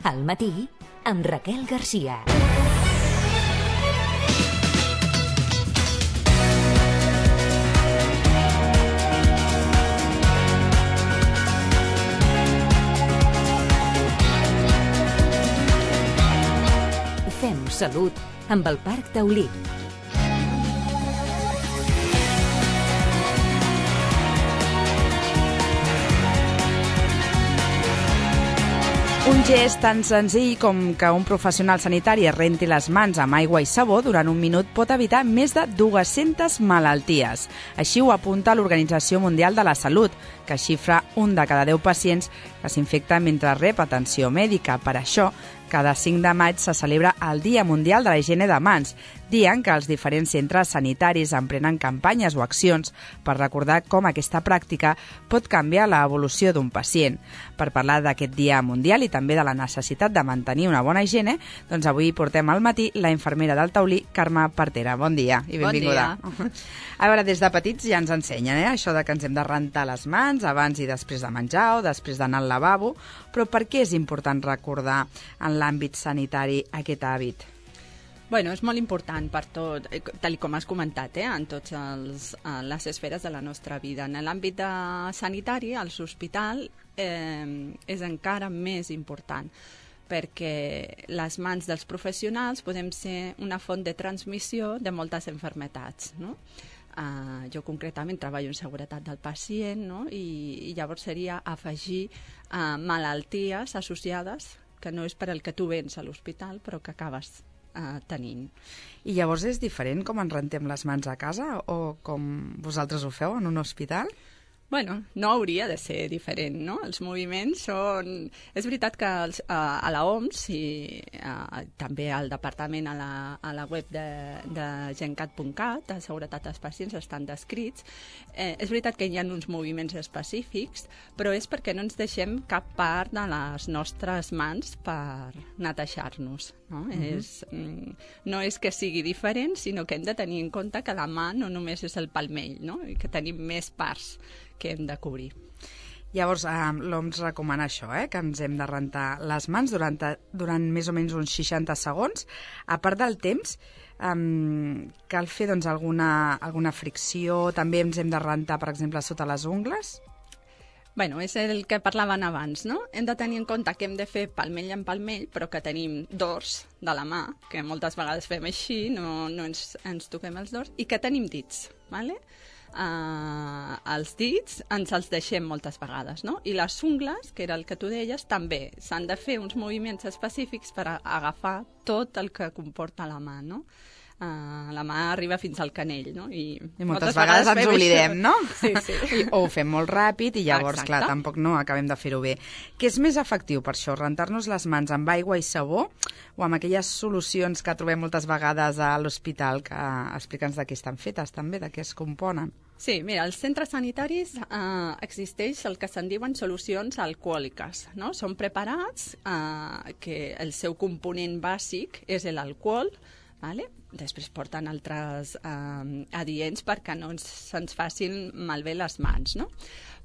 Al matí, amb Raquel Garcia. Fem salut amb el Parc Taulí. Un gest tan senzill com que un professional sanitari es renti les mans amb aigua i sabó durant un minut pot evitar més de 200 malalties. Així ho apunta l'Organització Mundial de la Salut, que xifra 1 de cada 10 pacients que s'infecten mentre rep atenció mèdica. Per això, cada 5 de maig se celebra el Dia Mundial de la Higiene de Mans, dia en què els diferents centres sanitaris emprenen campanyes o accions per recordar com aquesta pràctica pot canviar l'evolució d'un pacient. Per parlar d'aquest Dia Mundial i també de la necessitat de mantenir una bona higiene, doncs avui portem al matí la infermera del Taulí, Carme Partera. Bon dia i benvinguda. Bon dia. A veure, des de petits ja ens ensenyen això de que ens hem de rentar les mans abans i després de menjar o després d'anar al lavabo, però per què és important recordar en l'àmbit sanitari aquest hàbit? Bueno, és molt important per tot, tal com has comentat, en totes les esferes de la nostra vida. En l'àmbit sanitari, als hospitals, és encara més important, perquè les mans dels professionals podem ser una font de transmissió de moltes malalties, no? Jo concretament treballo en seguretat del pacient, no? I llavors seria afegir malalties associades que no és per al que tu vens a l'hospital, però que acabes tenint. I llavors és diferent com ens rentem les mans a casa o com vosaltres ho feu en un hospital? Bueno, no hauria de ser diferent, no? Els moviments són... És veritat que a la OMS i també al departament, a la web de gencat.cat, de seguretat dels pacients, estan descrits. És veritat que hi ha uns moviments específics, però és perquè no ens deixem cap part de les nostres mans per netejar-nos, no? No és que sigui diferent, sinó que hem de tenir en compte que la mà no només és el palmell, no? I que tenim més parts que hem de cobrir. Llavors, l'OMS recomana això, que ens hem de rentar les mans durant més o menys uns 60 segons. A part del temps, cal fer doncs, alguna fricció, també ens hem de rentar, per exemple, sota les ungles? Bueno, és el que parlaven abans, no? Hem de tenir en compte que hem de fer palmell en palmell, però que tenim dors de la mà, que moltes vegades fem així, no ens toquem els dors, i que tenim dits, ¿vale? Els dits ens els deixem moltes vegades, no? I les ungles, que era el que tu deies, també s'han de fer uns moviments específics per agafar tot el que comporta la mà, no? La mà arriba fins al canell, no? I moltes vegades ens oblidem, no? Sí. O ho fem molt ràpid i llavors, Exacte. Clar, tampoc no acabem de fer-ho bé. Què és més efectiu per això, rentar-nos les mans amb aigua i sabó o amb aquelles solucions que trobem moltes vegades a l'hospital, que explica'ns de què estan fetes també, de què es componen? Sí, mira, als centres sanitaris existeix el que se'n diuen solucions alcohòliques, no? Són preparats que el seu component bàsic és l'alcohol, ¿vale? Després porten altres adients perquè no se'ns facin malbé les mans, no?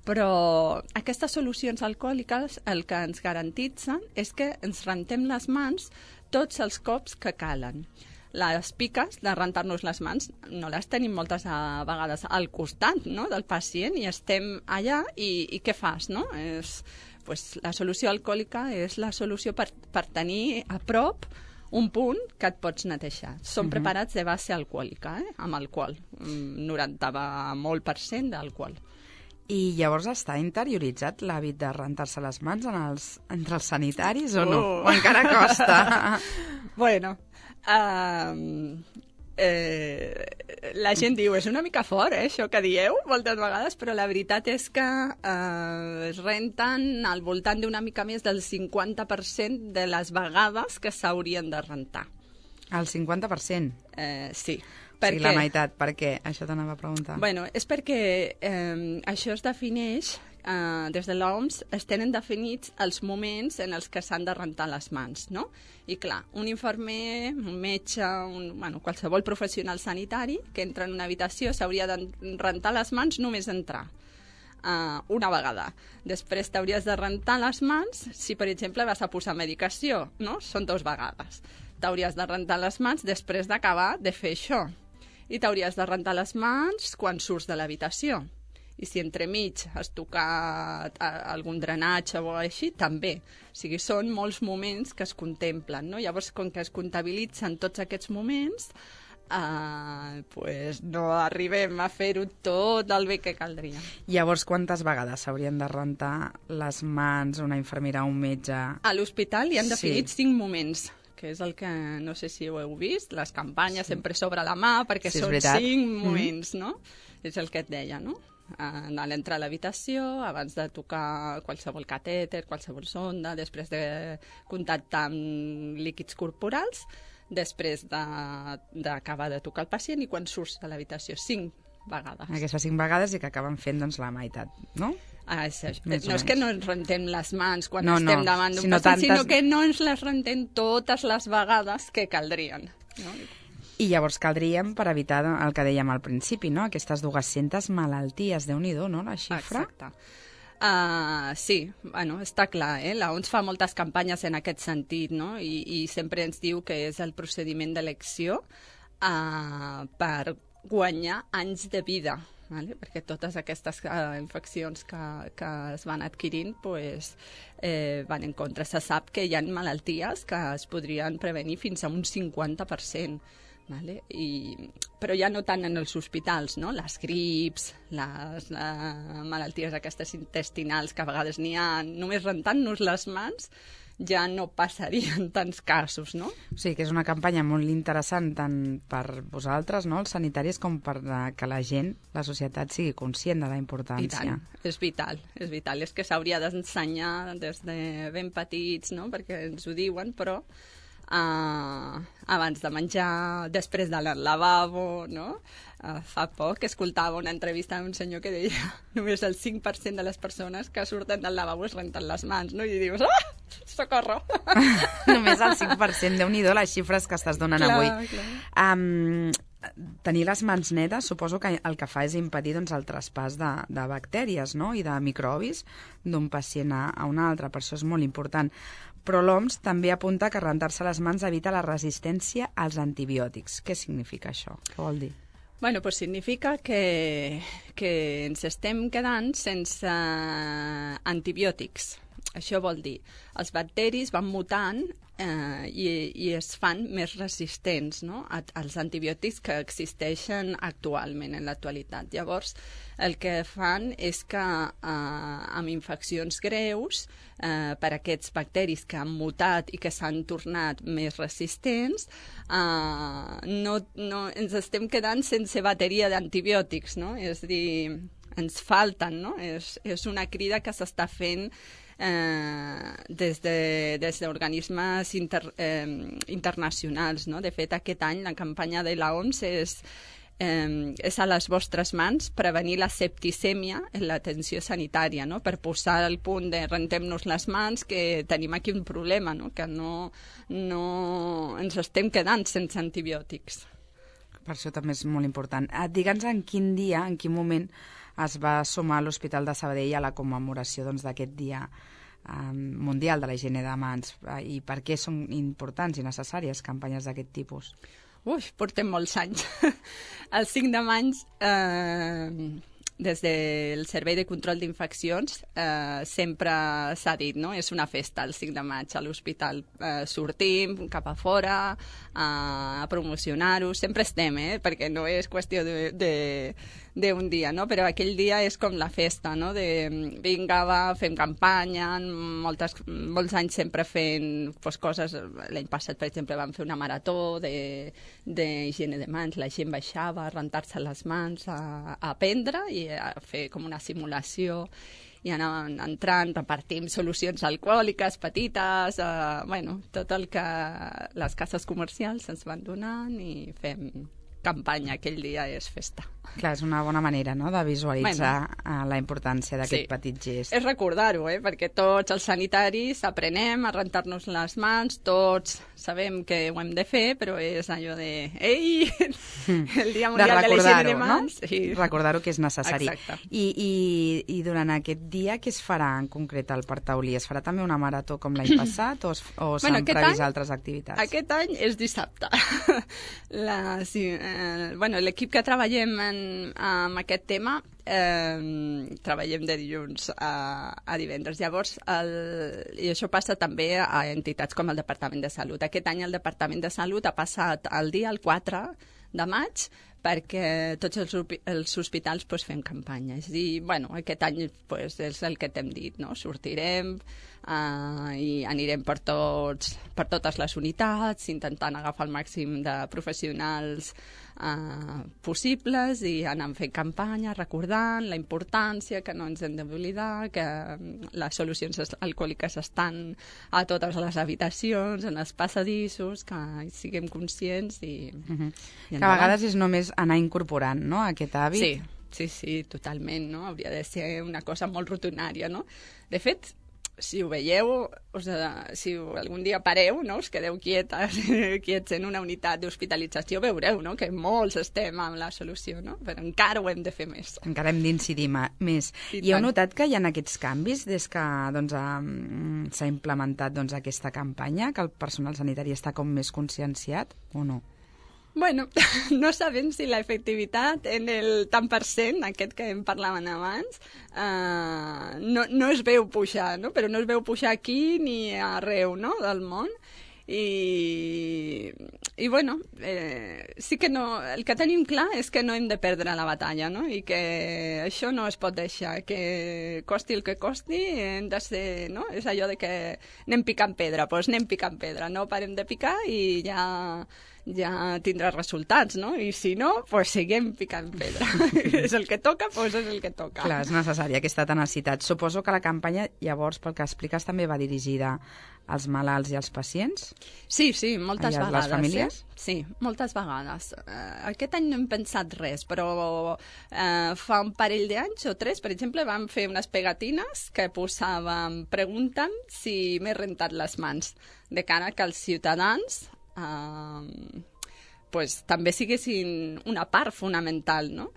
Però aquestes solucions alcohòliques el que ens garantitzen és que ens rentem les mans tots els cops que calen. Les piques de rentar-nos les mans no les tenim moltes vegades al costat, no?, del pacient i estem allà i què fas, no? La solució alcohòlica és la solució per tenir a prop un punt que et pots netejar. Són preparats de base alcohòlica, amb alcohol, 90% d'alcohol. I llavors està interioritzat l'hàbit de rentar-se les mans entre els sanitaris o no? O encara costa? Bueno, la gent diu, és una mica fort, això que dieu moltes vegades, però la veritat és que es renten al voltant d'una mica més del 50% de les vegades que s'haurien de rentar. El 50%? Sí. Per què? La meitat, per què? Això t'anava a preguntar. Bueno, és perquè això es defineix, des de l'OMS, es tenen definits els moments en els que s'han de rentar les mans, no? I clar, un infermer, un metge, qualsevol professional sanitari que entra en una habitació s'hauria de rentar les mans només entrar. una vegada. Després t'hauries de rentar les mans si, per exemple, vas a posar medicació, no? Són 2 vegades. T'hauries de rentar les mans després d'acabar de fer això. I t'hauries de rentar les mans quan surts de l'habitació. I si entremig has tocat algun drenatge o així, també. O sigui, són molts moments que es contemplen, no? Llavors, com que es comptabilitzen tots aquests moments, pues no arribem a fer-ho tot el bé que caldria. Llavors, quantes vegades s'haurien de rentar les mans una infermera o un metge? A l'hospital hi han definit 5 moments, que és el que, no sé si ho heu vist, les campanyes sempre sobre la mà, perquè són 5 moments, no? És el que et deia, no? A l'entrar a l'habitació, abans de tocar qualsevol catèter, qualsevol sonda, després de contactar amb líquids corporals, després d'acabar de tocar el pacient i quan surts de l'habitació, 5 vegades. Aquestes 5 vegades i que acaben fent doncs, la meitat, no? No és que no ens rentem les mans quan estem davant d'un pacient, sinó que no ens les rentem totes les vegades que caldrien, no? I llavors caldríem per evitar el que dèiem al principi, no? Aquestes 200 malalties, Déu-n'hi-do, no, la xifra? Exacte. Sí, bueno, està clar, l'OMS fa moltes campanyes en aquest sentit, no? I sempre ens diu que és el procediment d'elecció per guanyar anys de vida, vale? Perquè totes aquestes infeccions que es van adquirint pues, van en contra. Se sap que hi ha malalties que es podrien prevenir fins a un 50%. Vale? Però ja no tant en els hospitals, no? Les grips, les malalties aquestes intestinals que a vegades n'hi ha, només rentant-nos les mans ja no passarien tants casos, no? O sigui que és una campanya molt interessant tant per vosaltres, no, els sanitaris, com per que la gent, la societat, sigui conscient de la importància. I tant, és vital, és vital. És que s'hauria d'ensenyar des de ben petits, no?, perquè ens ho diuen, però abans de menjar, després d'anar al lavabo, no? Fa poc escoltava una entrevista d'un senyor que deia només el 5% de les persones que surten del lavabo es renten les mans, no? I dius, socorro! Només el 5%, Déu-n'hi-do les xifres que estàs donant avui. Clar. Tenir les mans netes suposo que el que fa és impedir doncs, el traspàs de bactèries, no?, i de microbis d'un pacient a un altre, per això és molt important. Però l'OMS també apunta que rentar-se les mans evita la resistència als antibiòtics. Què significa això? Què vol dir? Bueno, pues significa que ens estem quedant sense antibiòtics. Això vol dir, els bacteris van mutant i es fan més resistents, no?, als antibiòtics que existeixen actualment, en l'actualitat. Llavors, el que fan és que amb infeccions greus, per aquests bacteris que han mutat i que s'han tornat més resistents, no ens estem quedant sense bateria d'antibiòtics, no? És a dir, ens falten, no? És una crida que s'està fent des d'organismes internacionals, no? De fet, aquest any la campanya de l'OMS és a les vostres mans prevenir la septicèmia en l'atenció sanitària, no? Per posar al punt de rentem-nos les mans, que tenim aquí un problema, no? Que no ens estem quedant sense antibiòtics. Per això també és molt important. Digue'ns en quin dia, en quin moment es va sumar a l'Hospital de Sabadell a la commemoració d'aquest dia mundial de la higiene de mans i per què són importants i necessàries campanyes d'aquest tipus? Portem molts anys. El 5 de maig, des del Servei de Control d'Infeccions, sempre s'ha dit, no? És una festa el 5 de maig a l'hospital. Sortim cap a fora a promocionar-ho. Sempre estem, perquè no és qüestió d'un dia, no? Però aquell dia és com la festa, no? De vinga, va, fem campanya, molts anys sempre fent coses. L'any passat, per exemple, vam fer una marató d'higiene de mans, la gent baixava a rentar-se les mans, a aprendre i a fer com una simulació i anàvem entrant, repartim solucions alcohòliques petites, tot el que les cases comercials ens van donant i fem campanya, aquell dia és festa. Clar, és una bona manera, no?, de visualitzar la importància d'aquest petit gest. És recordar-ho, perquè tots els sanitaris aprenem a rentar-nos les mans, tots sabem que ho hem de fer, però és allò de... Ei! El Dia Mundial de l'Higiene de Mans. No? Recordar-ho que és necessari. Exacte. I durant aquest dia, què es farà en concret al Parc Taulí? Es farà també una marató com l'any passat o s'han previst altres activitats? Aquest any és dissabte. L'equip que treballem amb aquest tema treballem de dilluns a divendres. Llavors, i això passa també a entitats com el Departament de Salut. Aquest any el Departament de Salut ha passat el dia, el 4 de maig, perquè tots els hospitals fem campanyes. I aquest any és el que t'hem dit, no? Sortirem i anirem per totes les unitats, intentant agafar el màxim de professionals possibles i anant fent campanya, recordant la importància, que no ens hem d'oblidar, que les solucions alcohòliques estan a totes les habitacions, en els passadissos, que siguem conscients i... Que a vegades és només anar incorporant, no?, aquest hàbit. Sí, totalment, no? Hauria de ser una cosa molt rutinària, no? De fet, si ho veieu, si algun dia pareu, no?, us quedeu quiets en una unitat d'hospitalització, veureu, no?, que molts estem amb la solució, no? Però encara ho hem de fer més. Encara hem d'incidir més. I heu notat que hi ha aquests canvis des que s'ha implementat aquesta campanya, que el personal sanitari està com més conscienciat o no? Bueno, no sabem si l'efectivitat en el tant per cent, aquest que en parlaven abans, no es veu pujar, no? Però no es veu pujar aquí ni arreu, no?, del món. I bueno, sí que no, el que tenim clar és que no hem de perdre la batalla, no? I que això no es pot deixar, que costi el que costi, hem de ser, no? És allò de que anem picant pedra, doncs anem picant pedra, no parem de picar i ja tindrà resultats, no? I si no, doncs seguim picant pedra. És el que toca, doncs és el que toca. Clar, és necessària aquesta tenacitat. Suposo que la campanya, llavors, pel que expliques, també va dirigida als malalts i als pacients? Sí, moltes vegades. Les famílies? Sí, moltes vegades. Aquest any no hem pensat res, però fa un parell d'anys o 3, per exemple, vam fer unes pegatines que posàvem preguntant si m'he rentat les mans, de cara que els ciutadans també siguessin una part fonamental, no?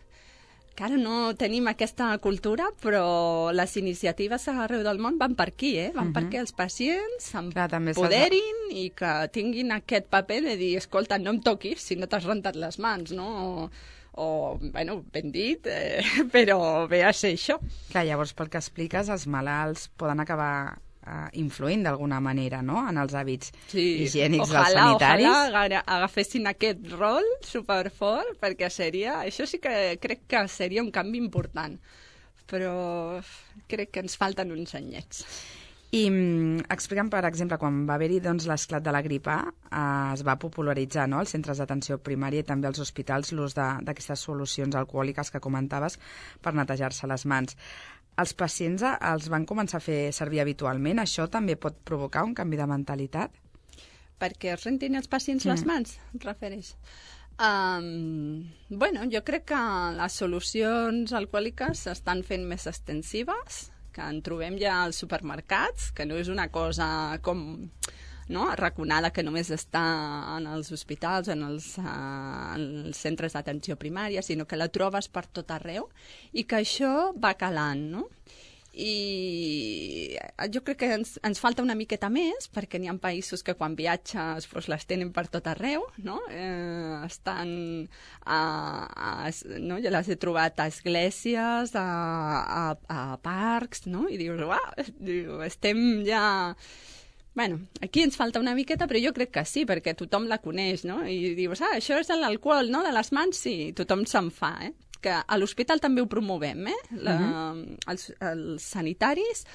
Que ara no tenim aquesta cultura, però les iniciatives arreu del món van per aquí, van perquè els pacients s'empoderin i que tinguin aquest paper de dir, escolta, no em toquis si no t'has rentat les mans, no? Bueno, ben dit, però ve a ser això. Clar, llavors, pel que expliques, els malalts poden acabar influint d'alguna manera, no?, en els hàbits higiènics dels sanitaris. Ojalà agafessin aquest rol superfort, perquè això sí que crec que seria un canvi important, però crec que ens falten uns anyets. I explica'm, per exemple, quan va haver-hi l'esclat de la grip A, es va popularitzar, no?, als centres d'atenció primària i també als hospitals l'ús d'aquestes solucions alcohòliques que comentaves per netejar-se les mans. Els pacients els van començar a fer servir habitualment. Això també pot provocar un canvi de mentalitat? Perquè es rentin els pacients les mans, et refereix? Bueno, jo crec que les solucions alcohòliques s'estan fent més extensives, que en trobem ja als supermercats, que no és una cosa com... no? Arraconada, que només està en els hospitals, en els centres d'atenció primària, sinó que la trobes per tot arreu i que això va calant, no? I jo crec que ens falta una miqueta més, perquè n'hi ha països que quan viatges les tenen per tot arreu, no? Estan no? Jo les he trobat a esglésies, a parcs, no? I dius, uau, estem ja... Bueno, aquí ens falta una miqueta, però jo crec que sí, perquè tothom la coneix, no? I dius, això és l'alcohol, no?, de les mans, sí, tothom se'n fa, Que a l'hospital també ho promovem, els sanitaris,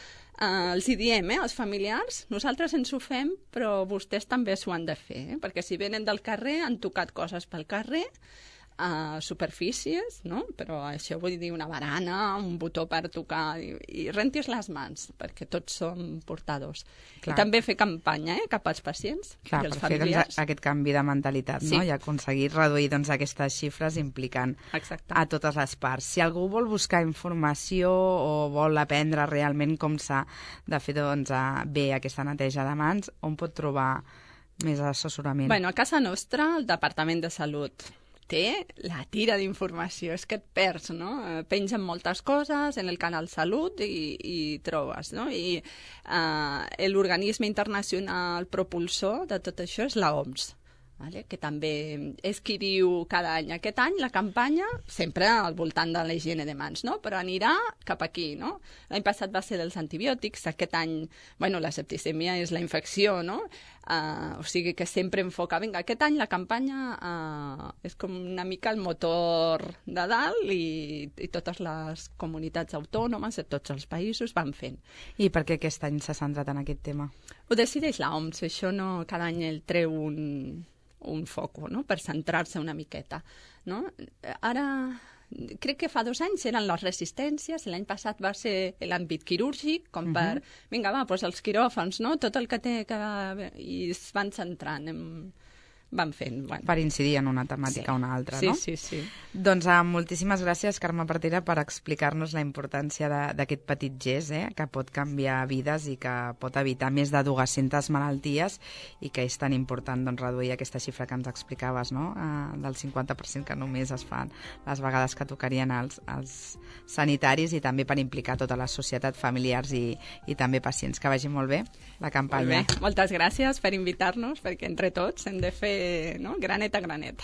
els hi diem, als familiars, nosaltres ens ho fem, però vostès també s'ho han de fer, perquè si venen del carrer, han tocat coses pel carrer, superfícies, no? Però això vull dir una barana, un botó per tocar, i rentis les mans, perquè tots som portadors. Clar. I també fer campanya cap als pacients Clar, i els per fer familiars. aquest canvi de mentalitat, Sí. no? I aconseguir reduir aquestes xifres implicant Exacte. a totes les parts. Si algú vol buscar informació o vol aprendre realment com s'ha de fer bé aquesta neteja de mans, on pot trobar més assessorament? Bueno, a casa nostra, el Departament de Salut té la tira d'informació, és que et perds, no? Pengen moltes coses en el canal Salut i trobes, no? I l'organisme internacional propulsor de tot això és l'OMS, vale? Que també és qui diu cada any. Aquest any la campanya, sempre al voltant de la higiene de mans, no? Però anirà cap aquí, no? L'any passat va ser dels antibiòtics, aquest any, bueno, la septicèmia és la infecció, no? O sigui que sempre enfoca, vinga, aquest any la campanya és com una mica el motor de dalt i totes les comunitats autònomes de tots els països van fent. I per què aquest any s'ha centrat en aquest tema? Ho decideix l'OMS, això no, cada any el treu un foco, no?, per centrar-se una miqueta, no? Ara, crec que fa 2 anys eren les resistències, l'any passat va ser l'àmbit quirúrgic, com per, vinga, va, doncs els quiròfans, no?, tot el que té que... i es van centrant van fent. Bueno. Per incidir en una temàtica o una altra, sí, no? Sí, sí. Doncs moltíssimes gràcies, Carme Partera, per explicar-nos la importància d'aquest petit gest, que pot canviar vides i que pot evitar més de 200 malalties i que és tan important reduir aquesta xifra que ens explicaves, no? Del 50% que només es fan les vegades que tocarien els sanitaris, i també per implicar tota la societat, familiars i també pacients. Que vagi molt bé la campanya. Molt bé. Moltes gràcies per invitar-nos, perquè entre tots hem de fer, no?, granet a granet.